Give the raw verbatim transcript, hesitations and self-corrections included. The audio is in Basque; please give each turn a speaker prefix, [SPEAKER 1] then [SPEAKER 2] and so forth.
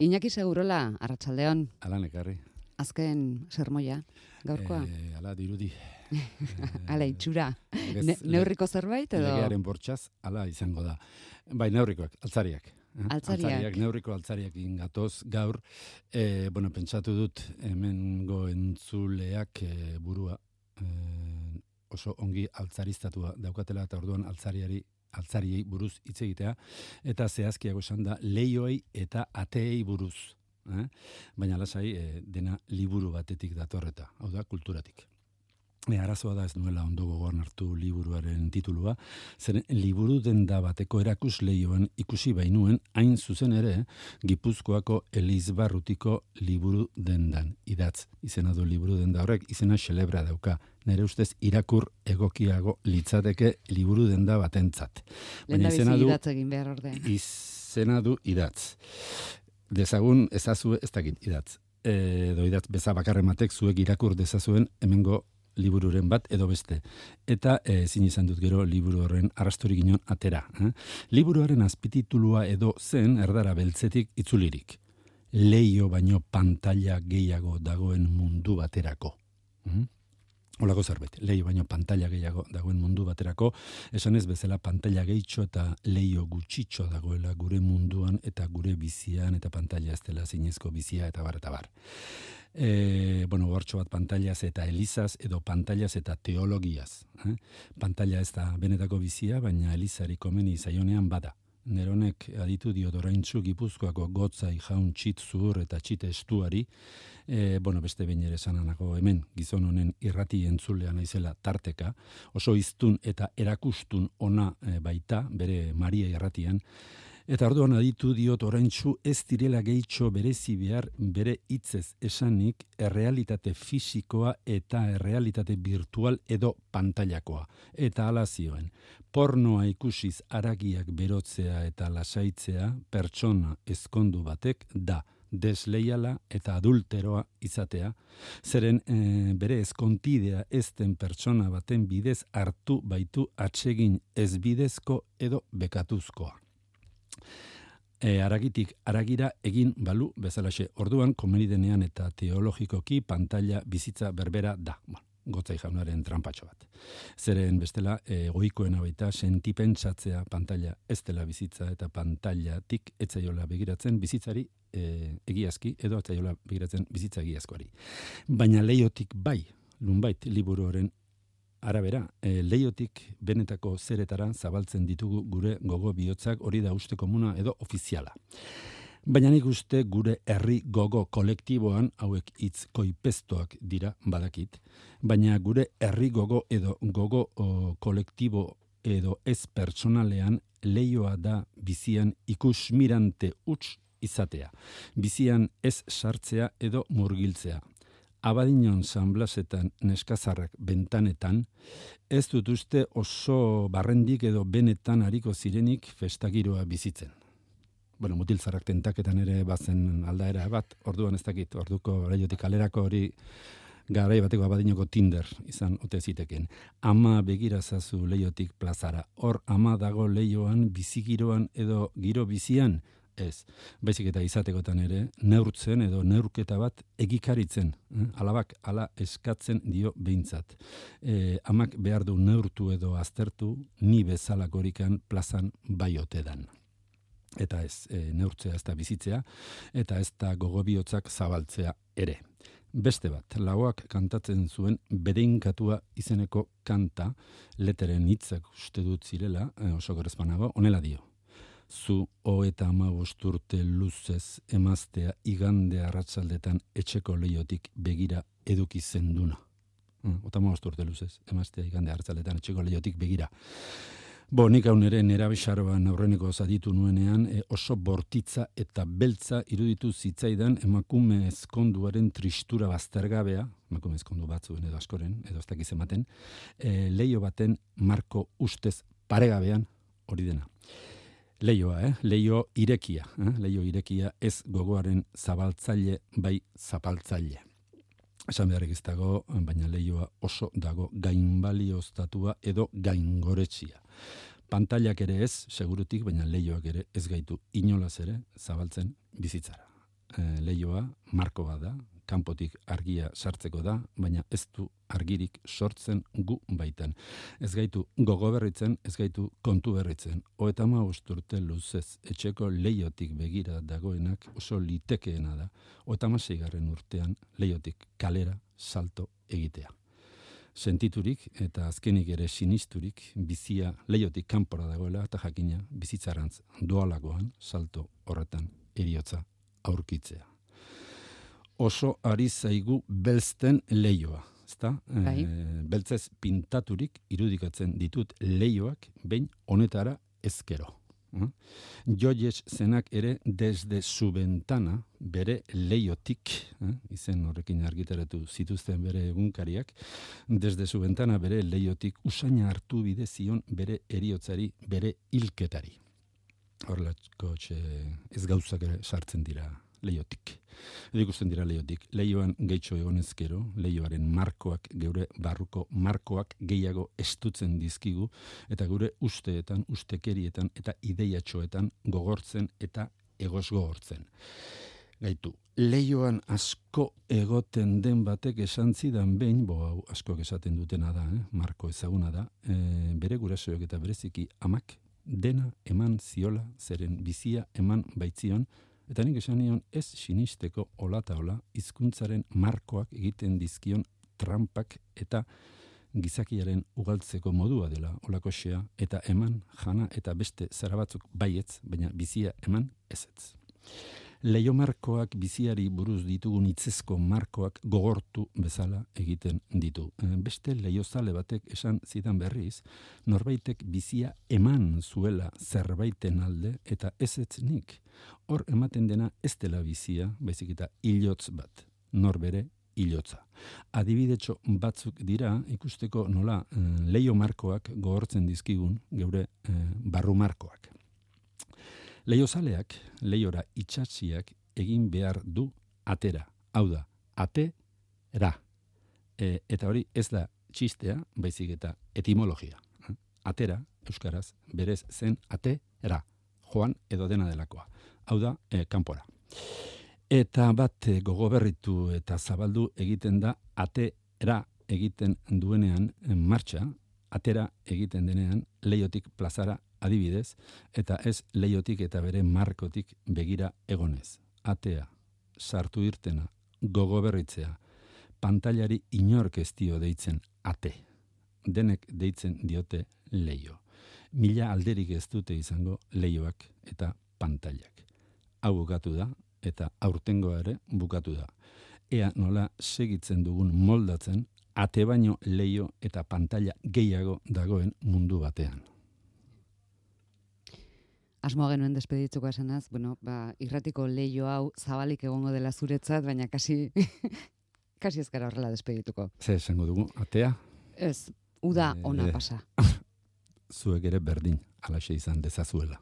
[SPEAKER 1] Iñaki Segurola, arratsaldeon.
[SPEAKER 2] Alan ekarri.
[SPEAKER 1] Azken sermoia, gaurkoa.
[SPEAKER 2] E, ala dirudi.
[SPEAKER 1] Ala itxura. Ne, neurriko zerbait edo?
[SPEAKER 2] Legearen bortxaz, ala izango da. Bai, neurrikoak, altzariak.
[SPEAKER 1] Altzariak.
[SPEAKER 2] Altzariak, neurriko altzariak ingatoz gaur. E, bueno, pentsatu dut hemengo entzuleak e, burua e, oso ongi altzaristatua daukatela eta orduan altzariari altzariei buruz hitz egitea, eta zehazkiago esan da leioei eta ateei buruz. Eh? Baina lasai eh, dena liburu batetik datorreta, hau da, kulturatik. E, arazoa da ez nuela ondo gogoan hartu liburuaren titulua, zeren liburu denda bateko erakus leioan ikusi bainuen, hain zuzen ere, Gipuzkoako Elizbarrutiko liburu dendan idatz. Izena du liburu denda horrek, izena xelebra dauka. Nere ustez irakur egokiago litzateke liburu denda batentzat.
[SPEAKER 1] Baina izena du idatz egin behar orde.
[SPEAKER 2] Izena du idatz. Dezagun ezazue ez dakit idatz. Edo idatz beza bakarrematek zuek irakur dezazuen hemengo libururen bat edo beste. Eta ezin izan dut gero liburu horren arrastorik inon atera. Eh? Liburuaren azpititulua edo zen erdara beltzetik itzulirik. Leio baino pantalla gehiago dagoen mundu baterako. Mm? Olako zerbait, leio baino pantalla gehiago dagoen mundu baterako, esan ez bezala pantalla gehitxo eta leio gutxitxo dagoela gure munduan eta gure bizian eta pantalla ez dela zinezko bizia eta bar eta bar. E, bueno, gortxo bat pantallaz eta elizaz edo pantallaz eta teologiaz. Eh? Pantalla ez da benetako bizia, baina elizari komeni zaionean bada. Neronek aditu dio doraintzu Gipuzkoako gotzai jaun txit zuhur eta txit estuari, e, bueno, beste behin ere sananako hemen gizon honen irrati entzulean naizela tarteka, oso iztun eta erakustun ona e, baita, bere Maria irratian, eta orduan aditu diot oraintzu ez direla gehitxo berezi behar bere hitzez esanik errealitate fisikoa eta errealitate virtual edo pantailakoa. Eta hala zioen, pornoa ikusiz haragiak berotzea eta lasaitzea pertsona ezkondu batek da desleiala eta adulteroa izatea, zeren e, bere ezkontidea ezten pertsona baten bidez hartu baitu atsegin ezbidezko edo bekatuzkoa. E, aragitik aragira egin balu bezalaxe. Orduan, komeni denean eta teologikoki pantalla bizitza berbera da. Bueno, gotzai jaunaren trampatxo bat. Zeren bestela, e, goikoena baita sentipentsatzea pantalla ez dela bizitza eta pantallatik etzaiola begiratzen bizitzari e, egiazki edo etzaiola begiratzen bizitza egiazkoari. Baina leiotik bai, lunbait liburuaren arabera, e, leiotik benetako zeretara zabaltzen ditugu gure gogo bihotzak, hori da uste komuna edo ofiziala. Baina nik uste gure herri gogo kolektiboan, hauek hitz koipestoak dira badakit, baina gure herri gogo edo gogo o, kolektibo edo ez pertsonalean leioa da bizian ikusmirante huts izatea. Bizian ez sartzea edo murgiltzea. Abadinon San Blasetan neskazarrak bentanetan, ez dut uste oso barrendik edo benetan hariko zirenik festagiroa bizitzen. Bueno, mutilzarrak tentaketan ere bazen aldaera bat, orduan ez dakit, orduko leiotik alerako hori garai bateko abadinoko Tinder izan ote ziteken. Ama begirazazu leiotik plazara, hor ama dago leioan, bizigiroan edo giro bizian, ez, baizik eta izatekotan ere, neurtzen edo neurketa bat egikaritzen, eh? Alabak ala eskatzen dio behintzat. E, amak behar du neurtu edo aztertu, ni bezalakorikan plazan bai ote dan. Eta ez, e, neurtzea ez da bizitzea, eta ez da gogobihotzak zabaltzea ere. Beste bat, lauak kantatzen zuen bedeinkatua izeneko kanta, leteren hitzak uste dut zirela, e, oso gerezpanago, honela dio. Zu hogeita hamabost urte luzez emaztea igande arratsaldetan etxeko leiotik begira eduki zenduna. Hogeita hamabost urte luzez emaztea igande arratsaldetan etxeko leiotik begira. Bo, nik hau nere nera bexaroan aurreneko zaditu nuenean e, oso bortitza eta beltza iruditu zitzaidan emakume ezkonduaren tristura baztergabea, emakume ezkondu batzuen edo askoren, edo ez dakiz ematen, e, leio baten marko ustez paregabean hori dena. Leioa, eh? Leio irekia, eh? Leio irekia ez gogoaren zabaltzaile bai zapaltzaile. Esan beharrik ez dago, baina leioa oso dago gainbalioztatua edo gaingoretsia. Pantailak ere ez, segurutik, baina leioak ere ez gaitu inolaz ere zabaltzen bizitzara. e, leioa, marko bat da, kanpotik argia sartzeko da, baina ez du argirik sortzen gu baitan. Ez gaitu gogo berritzen, ez gaitu kontu berritzen. Hogeita hamabost urte luzez etxeko leiotik begira dagoenak oso litekeena da. Hogeita hamaseigarren urtean leiotik kalera salto egitea. Sentiturik eta azkenik ere sinisturik bizia leiotik kanpora dagoela eta jakina bizitzarantz doalagoan salto horretan heriotza aurkitzea. Oso ari zaigu belzten leioa, ezta?
[SPEAKER 1] Bai.
[SPEAKER 2] E, beltzez pintaturik irudikatzen ditut leioak behin honetara ezkero. Eh? Joyes zenak ere desde su ventana bere leiotik, eh? izen horrekin argitaratu zituzten bere egunkariak, desde su ventana bere leiotik usaina hartu bide zion bere eriotzari, bere hilketari. Horrelako ez gauzak ere sartzen dira leiotik. Edo ikusten dira leiotik. Leioan gehitxo egonezkero, leioaren markoak, geure barruko markoak gehiago estutzen dizkigu, eta gure usteetan, ustekerietan eta ideiatxoetan gogortzen eta egos gogortzen. Gaitu, leioan asko egoten den batek esan zidan behin, bo hau askok esaten dutena da, eh? Marko ezaguna da, e, bere gurasoek eta bereziki amak dena eman ziola, zeren bizia eman baitzion, eta nik esan nion ez sinisteko olata ola hizkuntzaren markoak egiten dizkion trampak eta gizakiaren ugaltzeko modua dela olakoxea eta eman jana eta beste zara batzuk baietz, baina bizia eman ezetz. Leio markoak biziari buruz ditugun hitzezko markoak gogortu bezala egiten ditu. Beste leiozale batek esan zidan berriz, norbaitek bizia eman zuela zerbaiten alde eta ezetz nik. Hor ematen dena ez dela bizia, baizik eta hilotz bat, norbere hilotza. Adibidetxo batzuk dira ikusteko nola eh, leio markoak gogortzen dizkigun geure eh, barru markoak. Leiozaleak, leiora itxatziak egin behar du atera. Hau da, ate-ra. E, eta hori ez da txistea, baizik eta etimologia. Atera, euskaraz, berez zen ate-ra. Joan edo dena delakoa. Hau da, e, kanpora. Eta bat e, gogoberritu eta zabaldu egiten da ate-ra egiten duenean en martxa, atera egiten denean leiotik plazara adibidez, eta ez leiotik eta bere markotik begira egonez. Atea, sartu irtena, gogo berritzea, pantailari inork ez dio deitzen ate. Denek deitzen diote leio. Mila alderik ez dute izango leioak eta pantailak. Hau bukatu da, eta aurtengoa ere bukatu da. Ea nola segitzen dugun moldatzen, ate baino leio eta pantaila gehiago dagoen mundu batean.
[SPEAKER 1] Asmoa genuen despeditzuko esanaz, bueno, ba, irratiko leio hau zabalik egongo dela zuretzat, baina kasi, kasi ez gara horrela despedituko.
[SPEAKER 2] Ze esango dugu, atea?
[SPEAKER 1] Ez, uda ona pasa.
[SPEAKER 2] Zuek ere berdin, alaxe izan dezazuela.